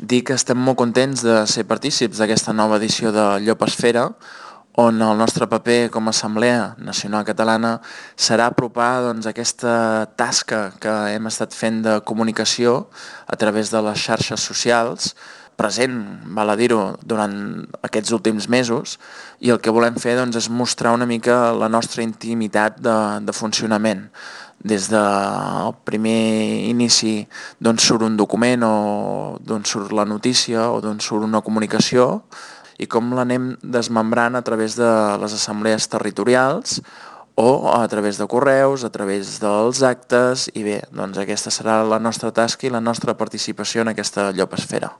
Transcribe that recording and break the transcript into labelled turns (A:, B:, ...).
A: Dir que estem molt contents de ser partícips d'aquesta nova edició de Llopesfera, on el nostre paper com a Assemblea Nacional Catalana serà apropar aquesta tasca que hem estat fent de comunicació a través de les xarxes socials, present, val a dir-ho, durant aquests últims mesos, i el que volem fer és mostrar una mica la nostra intimitat de funcionament. Des del primer inici d'on surt un document o d'on surt la notícia o d'on surt una comunicació i com l'anem desmembrant a través de les assemblees territorials o a través de correus, a través dels actes i bé, aquesta serà la nostra tasca i la nostra participació en aquesta llopesfera.